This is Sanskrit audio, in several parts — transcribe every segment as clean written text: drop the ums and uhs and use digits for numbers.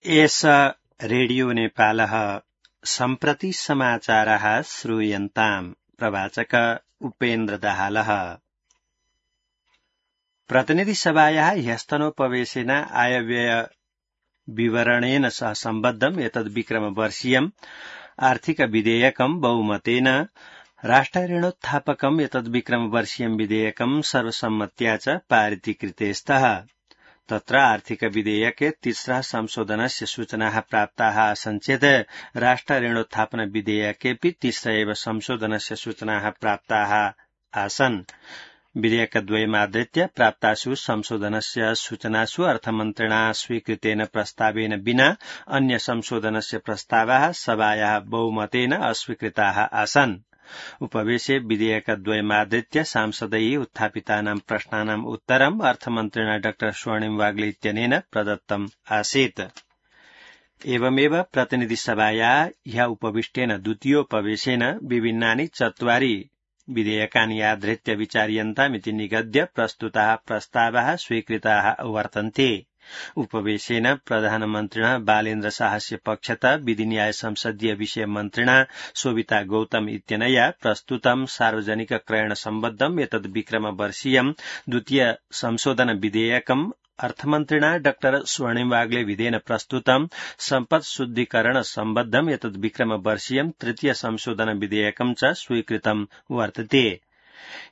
एष रेडियो नेपालः सम्प्रति समाचारः श्रूयन्ताम्। प्रवाचक उपेन्द्र दाहालः। प्रतिनिधिसभायाः ह्यस्तनोपवेशेन आयव्यय विवरणेन सह सम्बद्धम् एतद् विक्रमवर्षीयम् आर्थिक विधेयकम् बहुमतेन राष्ट्रऋणोत्थापकम् एतद् विक्रमवर्षीयम् विधेयकम् सर्वसम्मत्या च पारितीकृते स्तः। तत्र आर्थिक विधेयके तिस्रः संशोधनस्य सूचनाः प्राप्ताः आसन् चेत् राष्ट्रऋणोत्थापन विधेयकेऽपि तिस्र एव संशोधनस्य सूचनाः प्राप्ताः आसन्। विधेयकद्वयमादृत्य प्राप्तासु संशोधनस्य सूचनासु अर्थमन्त्रिणा स्वीकृतेन प्रस्तावेन विना अन्य संशोधनस्य प्रस्तावाः सभायाः बहुमतेन अस्वीकृताः आसन्। उपवेशे विधेयकद्वयमादृत्य सांसदैः उत्थापितानां प्रश्नानाम् उत्तरम् अर्थमन्त्रिणा डॉ स्वर्णिम वाग्ले इत्यनेन प्रदत्तम् आसीत्। एवमेव प्रतिनिधिसभायाः ह्यः उपविष्टेन द्वितीयोपवेशेन विभिन्नानि 4 विधेयकानि आधृत्य विचार्यन्तामिति निगद्य प्रस्तुताः प्रस्तावाः स्वीकृताः वर्तन्ते। उपवेशेन प्रधानमन्त्रिणः बालेन्द्र शाहस्य पक्षतः विधिन्याय संसदीय विषय मन्त्रिणा शोभिता गौतम इत्यनया प्रस्तुतं सार्वजनिक क्रयण सम्बद्धम् एतद् विक्रमवर्षीयम् द्वितीय संशोधन विधेयकम् अर्थमन्त्रिणा डॉ स्वर्णिम वाग्ले विधेन प्रस्तुतं सम्पत् शुद्धीकरण सम्बद्धम् एतद् विक्रमवर्षीयम् तृतीय संशोधन विधेयकम् च स्वीकृतं वर्तते।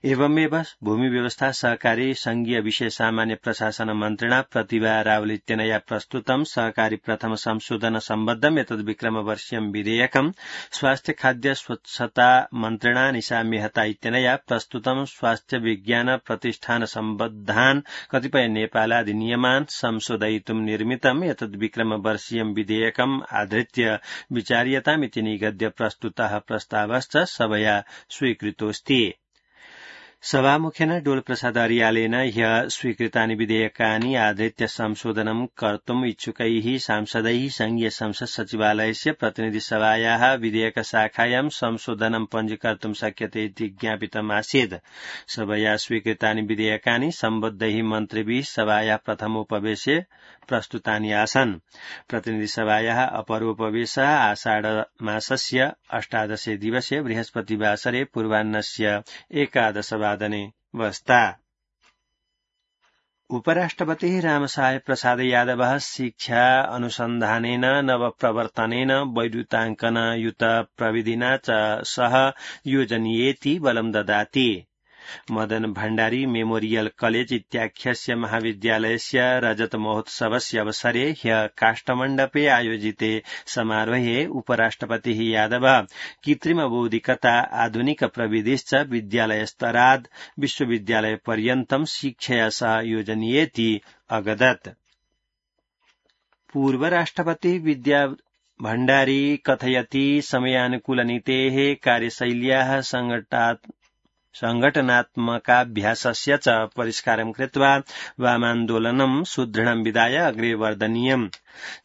एवमेव भूमि व्यवस्था सहकारी संघीय विषय सामान्य प्रशासन मन्त्रिणा प्रतिभा रावल इत्यनया प्रस्तुतं सहकारी प्रथम संशोधन सम्बद्धम् एतद् विक्रमवर्षीयम् विधेयकम् स्वास्थ्य खाद्य स्वच्छता मन्त्रिणा निशा मेहता इत्यनया प्रस्तुतं स्वास्थ्य विज्ञान प्रतिष्ठान सम्बद्धान् कतिपय नेपालाधिनियमान् संशोधयितुं निर्मितम् एतद् विक्रमवर्षीयम् विधेयकम् आधृत्य विचार्यतामिति निगद्य प्रस्तुतः प्रस्तावश्च सभया स्वीकृतोऽस्ति। सभामुखेन डोलप्रसाद अर्यालेन ह्यः स्वीकृतानि विधेयकानि आधृत्य संशोधनं कर्तुम् इच्छुकैः सांसदैः संघीय संसद सचिवालयस्य प्रतिनिधिसभायाः विधेयकशाखायां संशोधनं पञ्जीकर्तुं शक्यते इति ज्ञापितम् आसीत्। सभया स्वीकृतानि विधेयकानि सम्बद्धैः मन्त्रिभिः सभायाः प्रथमोपवेशे प्रस्तुतानि आसन्। प्रतिनिधिसभायाः अपरोपवेशः आषाढमासस्य 18 दिवसे बृहस्पतिवासरे पूर्वाह्नस्य 11 वादने वस्ता। उपराष्ट्रपतिः रामसाय प्रसाद यादवः शिक्षा अनुसन्धानेन नवप्रवर्तनेन वैद्युताङ्कन युत प्रविधिना च सह योजनीयेति बलं ददाति। मदन भण्डारी मेमोरियल कलेज इत्याख्यस्य महाविद्यालयस्य रजत महोत्सवस्य अवसरे ह्यः काष्ठमण्डपे आयोजिते समारोहे उपराष्ट्रपतिः यादवः कृत्रिम बौद्धिकता आधुनिक प्रविधिश्च विद्यालयस्तराद् विश्वविद्यालयपर्यन्तं शिक्षया सह योजनीयेति अगदत्। पूर्वराष्ट्रपतिः विद्या भण्डारी कथयति समयानुकूलनीतेः कार्यशैल्याः संघटनात्मकाभ्यासस्य च परिष्कारं कृत्वा वामान्दोलनं सुदृढं विधाय अग्रे वर्धनीयम्।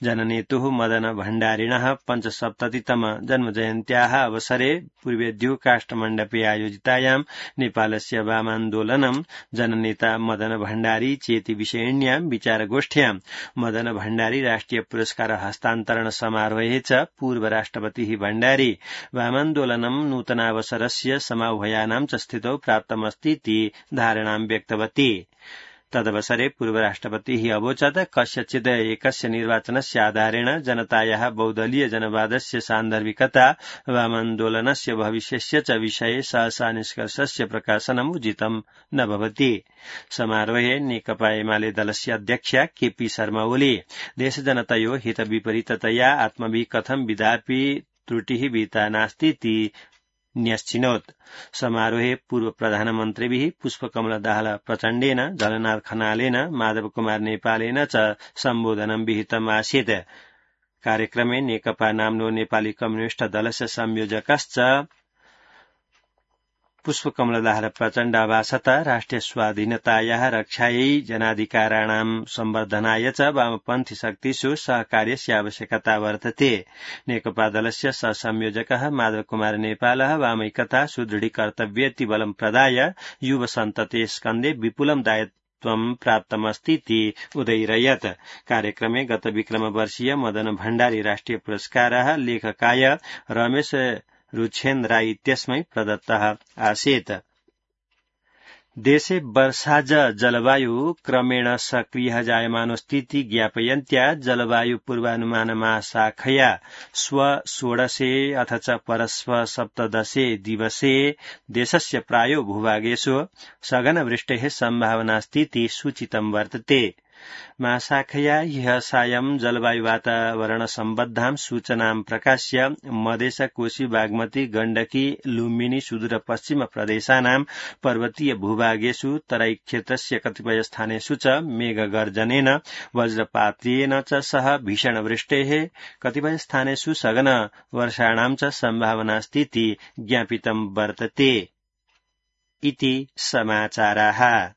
जननेतुः मदन भण्डारिणः 75तम जन्मजयन्त्याः अवसरे पूर्वेद्युः काष्ठमण्डपे आयोजितायां नेपालस्य वामान्दोलनं जननेता मदन भण्डारी चेति विषयिण्यां विचारगोष्ठ्यां मदन भण्डारी राष्ट्रिय पुरस्कार हस्तान्तरण समारोहे च पूर्वराष्ट्रपतिः भण्डारी वामान्दोलनं नूतनावसरस्य समाह्वयानां च स्थितौ प्राप्तमस्तीति धारणां व्यक्तवती। तदवसरे पूर्वराष्ट्रपतिः अवोचत् कस्यचिद् एकस्य निर्वाचनस्य आधारेण जनतायाः बहुदलीय जनवादस्य सान्दर्भिकता वामान्दोलनस्य भविष्यस्य च विषये सहसा निष्कर्षस्य प्रकाशनम् उचितं न भवति। समारोहे नेकपा एमाले दलस्य अध्यक्षा केपी शर्मा ओली देशजनतयोः हितविपरीततया आत्मभिः कथं विधापि त्रुटिः विहिता नास्तीति न्यश्चिनोत्। समारोहे पूर्व प्रधानमन्त्रिभिः पुष्पकमल दाहाल प्रचण्डेन झलनाथ खनालेन माधव कुमार नेपालेन च सम्बोधनं विहितम् आसीत्। कार्यक्रमे नेकपा नाम्नो नेपाली कम्युनिष्ट दलस्य संयोजकश्च पुष्पकमल दाहाल प्रचण्ड अभासत राष्ट्रिय स्वाधीनतायाः रक्षायै जनाधिकाराणां संवर्धनाय च वामपन्थी शक्तिषु सहकार्यस्य आवश्यकता वर्तते। नेकपा दलस्य सहसंयोजकः माधव कुमार नेपालः वामैकता सुदृढीकर्तव्येति बलं प्रदाय युवसन्ततेः स्कन्धे विपुलं महत्त्वं प्राप्तमस्तीति उदैरयत्। कार्यक्रमे गत विक्रमवर्षीय मदन भण्डारी राष्ट्रिय पुरस्कारः लेखकाय रमेश रुछेन्द्राय इत्यस्मै प्रदत्तः आसीत्। देशे वर्षाज जलवायु क्रमेण सक्रियः जायमानोस्थिति ज्ञापयन्त्या जलवायु पूर्वानुमान महाशाखया श्व 16 अथ च परश्व 17 दिवसे देशस्य प्रायो भूभागेषु सघनवृष्टेः सम्भावनास्तीति सूचितं वर्तते। महाशाखया ह्यः सायं जलवायु वातावरण सम्बद्धां सूचनां प्रकाश्य मधेश कोशी बागमती गण्डकी लुम्बिनी सुदूर पश्चिम प्रदेशानां पर्वतीय भूभागेषु तराई क्षेत्रस्य कतिपय स्थानेषु च मेघगर्जनेन वज्रपातेन च सह भीषण वृष्टेः कतिपय स्थानेषु सघन वर्षाणां च सम्भावनास्तीति ज्ञापितं वर्तते। इति समाचाराः।